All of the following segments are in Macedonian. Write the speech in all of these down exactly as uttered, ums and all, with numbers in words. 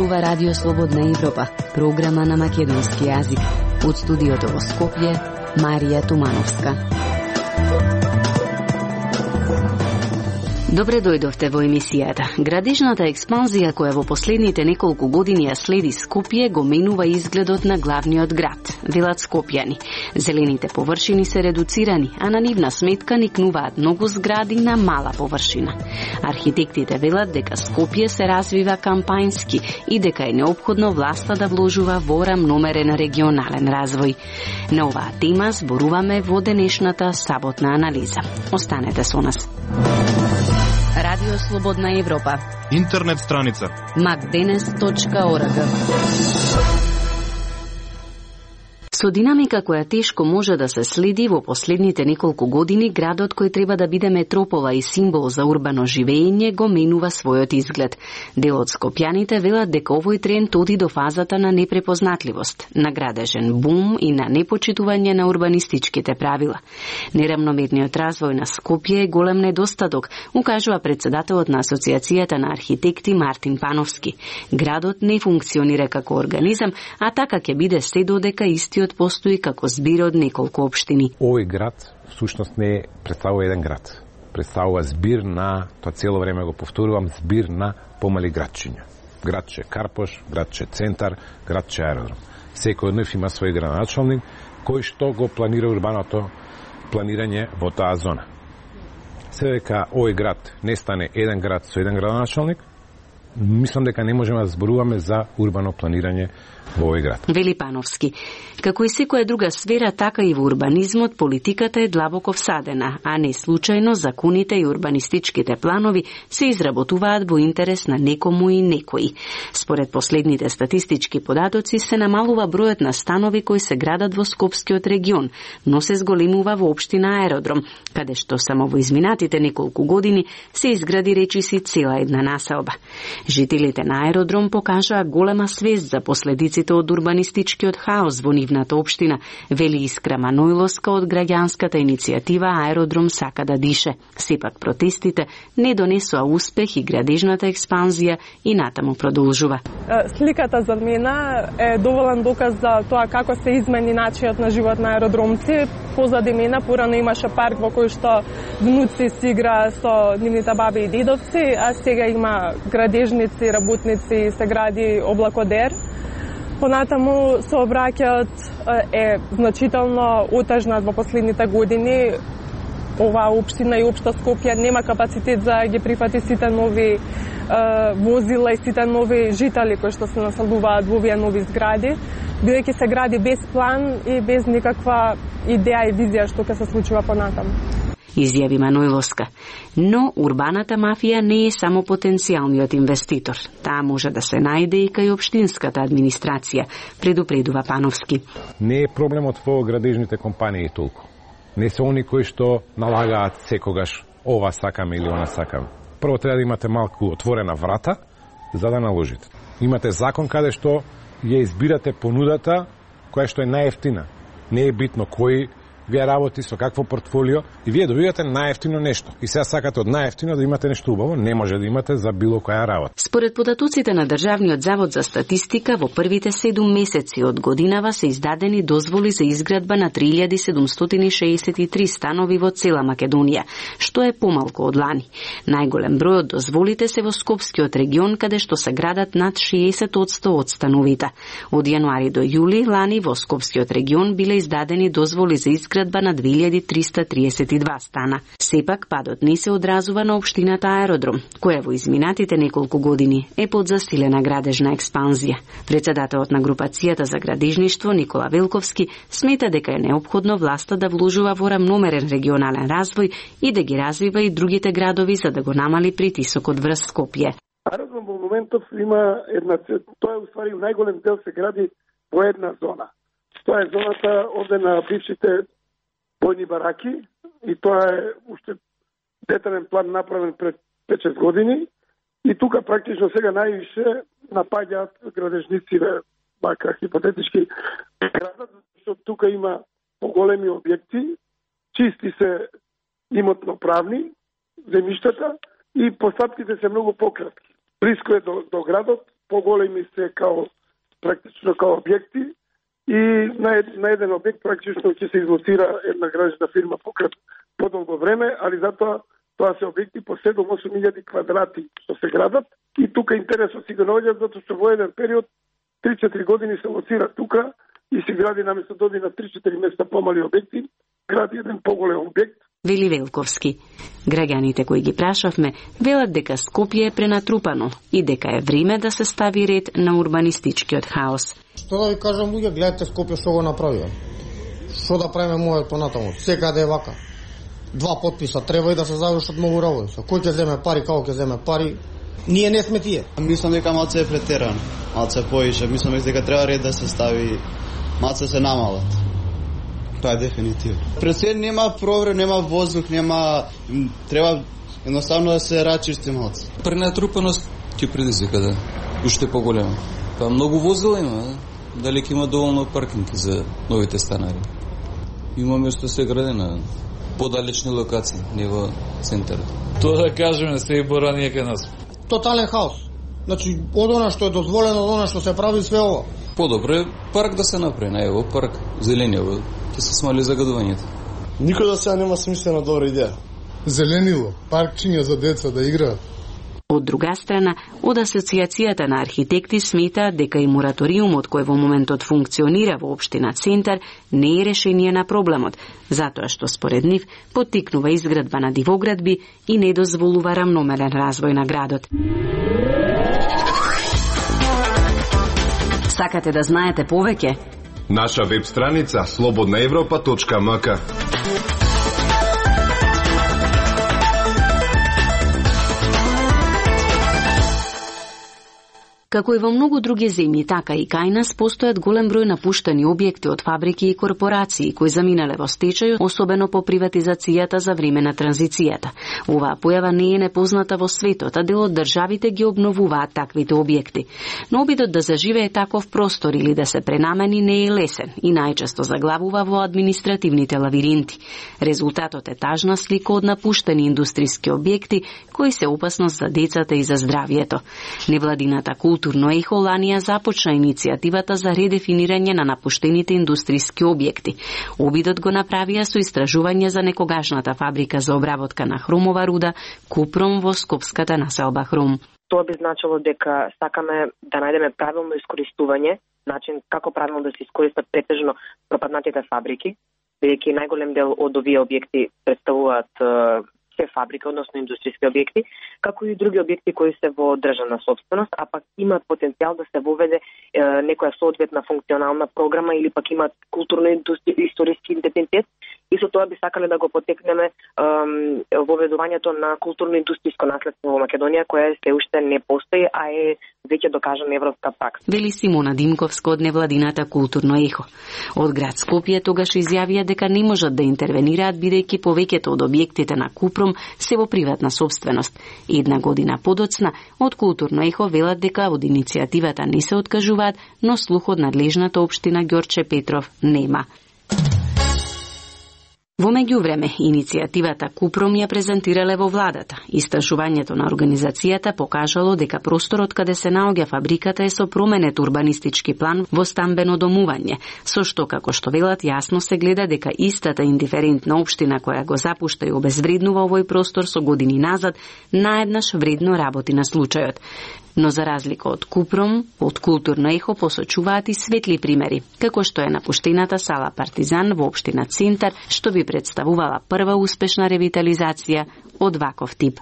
зборува Радио Слободна Европа, програма на македонски јазик. Од студиото во Скопје, Марија Тумановска. Добре дојдовте во емисијата. Градежната експанзија која во последните неколку години ја следи Скопје го менува изгледот на главниот град, велат скопјани. Зелените површини се редуцирани, а на нивна сметка никнуваат многу згради на мала површина. Архитектите велат дека Скопје се развива кампањски и дека е неопходно власта да вложува во рамномерен регионален развој. На оваа тема зборуваме во денешната саботна анализа. Останете со нас. Радио Слободна Европа. Интернет страница макденес точка орг. Со динамика која тешко може да се следи во последните неколку години, градот кој треба да биде метропола и символ за урбано живење го менува својот изглед. Дел од скопјаните велат дека овој тренд оди до фазата на непрепознатливост, на градежен бум и на непочитување на урбанистичките правила. Нерамномерниот развој на Скопје е голем недостаток, укажува председателот на Асоциацијата на архитекти Мартин Пановски. Градот не функционира како организам, а така ќе биде се додека истиот постои како збир од неколку општини. Овој град всушност не представува еден град. Представува збир на, тоа цело време го повторувам, збир на помали градчиња. Градче Карпош, градче Центар, градче Аеродром. Секој од нив има свој градоначалник кој што го планира урбаното планирање во таа зона. Се дека овој град не стане еден град со еден градоначалник, мислам дека не можеме да зборуваме за урбано планирање во овој град. Вели Пановски. Како и секоја друга сфера, така и во урбанизмот политиката е длабоко всадена, а не случајно законите и урбанистичките планови се изработуваат во интерес на некому и некои. Според последните статистички податоци се намалува бројот на станови кои се градат во Скопскиот регион, но се зголемува во општина Аеродром, каде што само во изминатите неколку години се изгради речиси цела една населба. Жителите на Аеродром покажаа голема свест за последиците од урбанистичкиот хаос во нивната општина, вели Искра Манојловска од граѓанската иницијатива Аеродром сака да дише. Сепак протестите не донесоа успех и градежната експанзија и натаму продолжува. Сликата за мене е доволен доказ за тоа како се измени начинот на живот на аеродромци. Позади мене порано имаше парк во кој што внуци си игра со нивните баби и дедовци, а сега има градежници, работници, се гради облакодер. Понатаму сообраќајот е значително отежнат во последните години. Оваа општина и општа Скопје нема капацитет за ги прифати сите нови е, возила и сите нови жители кои што се населуваат во овие нови згради, бидејќи се гради без план и без никаква идеја и визија што ќе се случува понатаму. Изјави Манојловска. Но урбаната мафија не е само потенцијалниот инвеститор. Таа може да се најде и кај општинската администрација, предупредува Пановски. Не е проблемот во градежните компании толку. Не се они кои што налагаат секогаш ова сакаме или она сакаме. Прво треба да имате малку отворена врата за да наложите. Имате закон каде што ја избирате понудата која што е најевтина. Не е битно кој вие работи со какво портфолио и вие добивате најевтино нешто. И сега сакате од најевтино да имате нешто убаво, не може да имате за било која работа. Според податоците на Државниот завод за статистика, во првите седум месеци од годинава се издадени дозволи за изградба на три илјади седумстотини шеесет и три станови во цела Македонија, што е помалку од лани. Најголем број од дозволите се во Скопскиот регион, каде што се градат над шеесет одсто од становите. Од јануари до јули лани во Скопскиот регион биле издадени дозволи за изградба изградба на две илјади триста триесет и два стана. Сепак падот не се одразува на општината Аеродром, која во изминатите неколку години е под засилена градежна експанзија. Председателот на групацијата за градежништво Никола Велковски смета дека е неопходно власта да вложува во рамномерен регионален развој и да ги развива и другите градови за да го намали притисокот врз Скопје. Аеродром во моментов има една, тоа е уствари најголем дел се гради во една зона. Тоа е зоната овде на бившите војни бараки и тоа е уште детален план направен пред пет-шест години и тука практично сега највише напаѓаат градежници, бака хипотетички градат, защото тука има поголеми објекти, чисти се имотно правни земјиштата и постапките се многу пократки. Близко е до, до градот поголеми се као практично као објекти и на, на еден објект практично ќе се излоцира една градежна фирма покрај подолго време, али затоа тоа се објекти по седум-осум илјади квадрати што се градат и тука интересот си го наоѓа затоа што во еден период три-четири години се лоцира тука и се гради наместо да оди на три-четири места помали објекти, гради еден поголем објект. Вели Велковски. Граѓаните кои ги прашавме велат дека Скопје е пренатрупано и дека е време да се стави ред на урбанистичкиот хаос. Што да ви кажам, луѓе, гледате Скопје што го направија. Што да правиме мојот понатаму? Секаде е вака. Два подписа треба и да се завршат многу работи. Кој ќе земе пари, како ќе земе пари? Ние не сме тие. Мислам дека малце е претерано, малце поише. Мислам дека треба ред да се стави, малце се намалат. Тоа е дефинитивно. Пред се нема провред, нема воздух, нема... Треба едноставно да се рачисти малце. Пренатрупаност ќе предизвика, да. Уште поголема. Па многу возила има, да? Дали ќе има доволно паркинги за новите станари? Има место се гради на подалечни локации, не во центарот. Тоа да кажеме се и борание кај нас. Тотален хаос. Значи, од она што е дозволено, од она што се прави, све ова. Подобро е парк да се направи, на ево парк, зеленево, ќе се смали загадувањето. Никој да сега нема смислена добра идеја. Зеленило, паркчиња за деца да играат. Од друга страна, од Асоциацијата на архитекти сметаат дека и мораториумот кој во моментот функционира во општина Центар не е решение на проблемот, затоа што според нив поттикнува изградба на дивоградби и не дозволува рамномерен развој на градот. Сакате да знаете повеќе? Наша веб страница слободна европа точка ем ка. Како и во многу други земји, така и кај нас постојат голем број напуштени објекти од фабрики и корпорации кои заминале во стечај, особено по приватизацијата за време на транзицијата. Оваа појава не е непозната во светот, а дел од државите ги обновуваат таквите објекти. Но обидот да заживее таков простор или да се пренамени не е лесен и најчесто заглавува во административните лавиринти. Резултатот е тажна слика од напуштени индустријски објекти кои се опасност за децата и за здравието. Невладината Културно ехо ланија започна иницијативата за редефинирање на напуштените индустријски објекти. Обидот го направија со истражување за некогашната фабрика за обработка на хромова руда Купром во скопската населба Хром. Тоа би значило дека сакаме да најдеме правилно искористување, начин како правилно да се искористат претежно пропаднатите фабрики, бидејќи најголем дел од овие објекти представуваат се фабрика, односно индустријски објекти, како и други објекти кои се во државна собственост, а пак имаат потенцијал да се воведе е, некоја соодветна функционална програма или пак имаат културно-историски идентитет и со тоа би сакале да го потекнеме е, воведувањето на културно-индустријско наследство во Македонија, која се уште не постои, а е веќе докажана европска пракса. Вели Симона Димковска од невладината Културно ехо. Од град Скопје тогаш изјавија дека не можат да интервенираат бидејќи повеќето од објектите на Купром се во приватна собственост. Една година подоцна, од Културно ехо велат дека од иницијативата не се откажуваат, но слух од надлежната општина Ѓорче Петров нема. Во меѓувреме, иницијативата Купром ја презентирале во владата. Истражувањето на организацијата покажало дека просторот каде се наоѓа фабриката е со променет урбанистички план во стамбено домување, со што, како што велат, јасно се гледа дека истата индиферентна општина која го запушта и обезвреднува овој простор со години назад, наеднаш вредно работи на случајот. Но за разлика од Купром, од Културно ехо посочуваат и светли примери, како што е напуштената сала Партизан во општина Центар, што би представувала прва успешна ревитализација од ваков тип.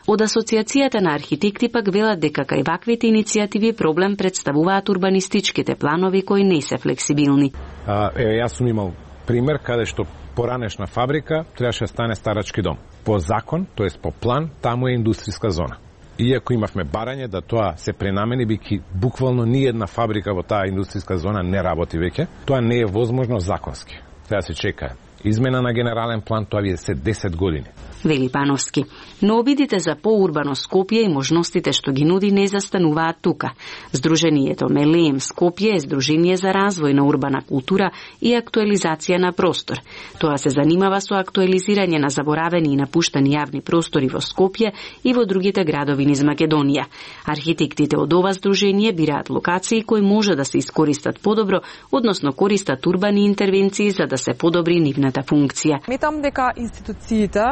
Од Асоциацијата на архитекти пак велат дека кај ваквите иницијативи проблем представуваат урбанистичките планови кои не се флексибилни. А, еве, јас сум имал пример каде што поранешна фабрика требаше да стане старачки дом. По закон, тоест по план, таму е индустријска зона. Иако имавме барање да тоа се пренамени, бики буквално ни една фабрика во таа индустријска зона не работи веќе, тоа не е возможно законски. Треба да се чека Измена на генерален план тоа би се десет години. Вели Пановски. Но обидите за поурбано Скопје и можностите што ги нуди не застануваат тука. Сдруженијето Мелеем Скопје е здружение за развој на урбана култура и актуализација на простор. Тоа се занимава со актуализирање на заборавени и напуштани јавни простори во Скопје и во другите градови низ Македонија. Архитектите од ова здружение бираат локации кои може да се искористат подобро, односно користат урбани интервенции за да се подобри нивната функција. Сметам дека институциите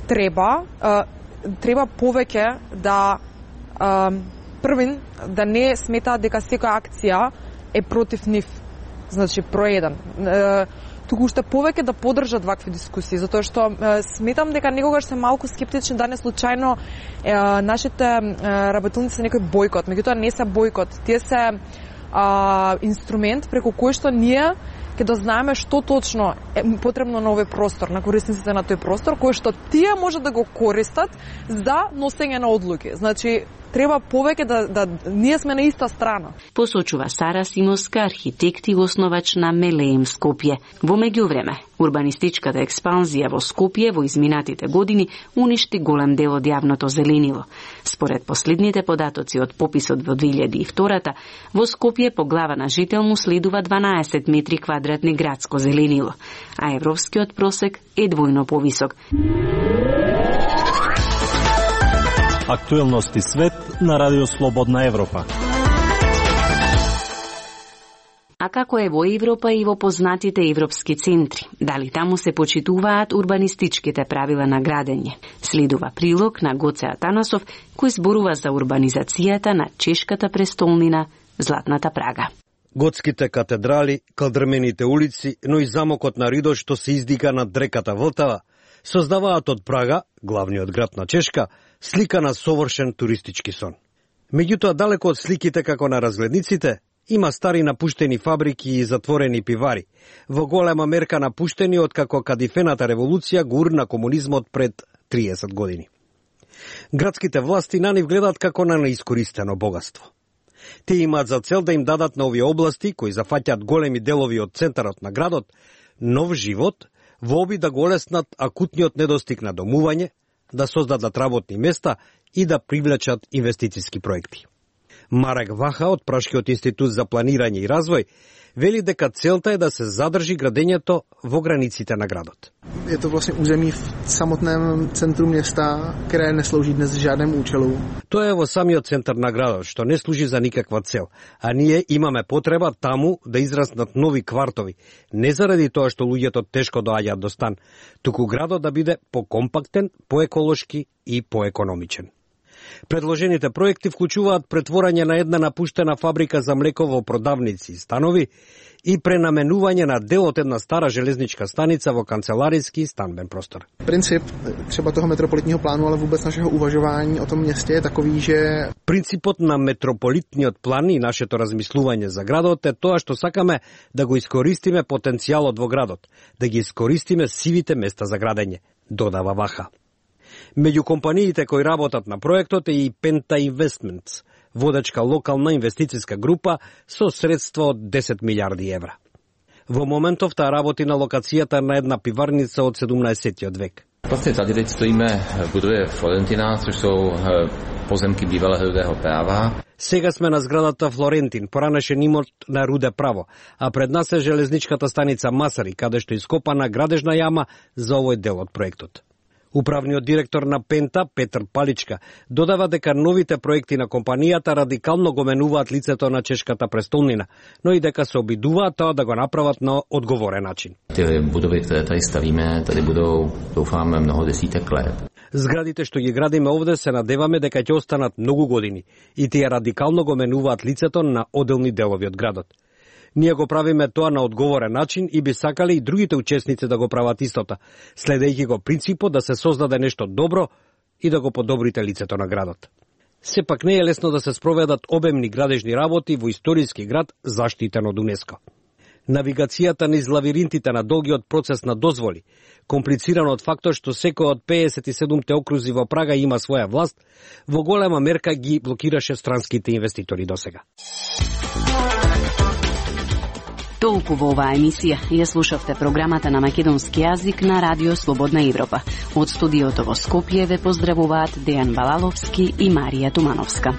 треба треба повеќе да првин да не сметаат дека секоја акција е против нив, значи проеден. Туку уште повеќе да поддржат вакви дискусии, затоа што сметам дека некогаш се малку скептични да не случајно нашите работилници се некој бојкот, меѓутоа не се бојкот, тие се а, инструмент преку кој што ние ќе да знаеме што точно е потребно на овој простор, на корисниците на тој простор, кој што тие може да го користат за носење на одлуки. Значи, треба повеќе да, да ние сме на иста страна. Посочува Сара Симовска, архитект и основач на Мелеем Скопје. Во меѓувреме, урбанистичката експанзија во Скопје во изминатите години уништи голем дел од јавното зеленило. Според последните податоци од пописот во две илјади и втора, во Скопје по глава на жител му следува дванаесет метри квадратни градско зеленило, а европскиот просек е двојно повисок. Актуелности свет на Радио Слободна Европа. А како е во Европа и во познатите европски центри? Дали таму се почитуваат урбанистичките правила на градење? Следува прилог на Гоце Атанасов, кој зборува за урбанизацијата на чешката престолнина Златната Прага. Готските катедрали, калдрмените улици, но и замокот на Ридо што се издига над реката Влтава, создаваат од Прага, главниот град на Чешка, слика на совршен туристички сон. Меѓутоа, далеко од сликите како на разгледниците, има стари напуштени фабрики и затворени пивари, во голема мерка напуштени од како кадифената револуција гурна комунизмот пред триесет години. Градските власти на нив гледаат како на неискористено богатство. Те имаат за цел да им дадат на овие области, кои зафаќаат големи делови од центарот на градот, нов живот, во обид да го олеснат акутниот недостиг на домување, да создадат работни места и да привлечат инвестициски проекти. Марек Ваха од Прашкиот институт за планирање и развој вели дека целта е да се задржи градењето во границите на градот. Je to vlastně území v samotném centru města, které neslouží dnes žádnému účelu. Тоа е во самиот центар на градот, што не служи за никаква цел, а ние имаме потреба таму да израснат нови квартови, не заради тоа што луѓето тешко доаѓаат до стан, туку градот да биде покомпактен, поеколошки и поекономичен. Предложените проекти вклучуваат претворање на една напуштена фабрика за млеко во продавници и станови и пренаменување на дел од една стара железничка станица во канцеларијски и станбен простор. Принцип třeba toho metropolitního plánu, ale vůbec našeho uvažování o tom městě je takový, že принципот на метрополитниот план и нашето размислување за градот е тоа што сакаме да го искористиме потенцијалот во градот, да ги искористиме сивите места за градење, додава Ваха. Меѓу компаниите кои работат на проектот е и Penta Investments, водечка локална инвестициска група со средства од десет милиарди евра. Во моментов таа работи на локацијата на една пиварница од седумнаесеттиот век. Vlastně tady teď stojíme v budově Florentina, což jsou pozemky bývalého rudého práva. Сега сме на зградата Флорентин, поранешен имот на руде право, а пред нас е железничката станица Масари, каде што ископана градежна јама за овој дел од проектот. Управниот директор на Пента, Петр Паличка, додава дека новите проекти на компанијата радикално го менуваат лицето на чешката престолнина, но и дека се обидуваат тоа да го направат на одговорен начин. Те будови, které tady stavíme, tady budou, doufáme, mnoho desítek let. Зградите што ги градиме овде се надеваме дека ќе останат многу години и тие радикално го менуваат лицето на оделни делови од градот. Ние го правиме тоа на одговорен начин и би сакале и другите учесници да го прават истото, следејќи го принципот да се создаде нешто добро и да го подобрите лицето на градот. Сепак не е лесно да се спроведат обемни градежни работи во историски град заштитен од УНЕСКО. Навигацијата низ лавиринтите на долгиот процес на дозволи, комплицирано од фактот што секој од пеесет и седумте окрузи во Прага има своја власт, во голема мерка ги блокираше странските инвеститори досега. Толку во оваа емисија. Ја слушавте програмата на македонски јазик на Радио Слободна Европа. Од студиото во Скопје ве поздравуваат Дејан Балаловски и Марија Тумановска.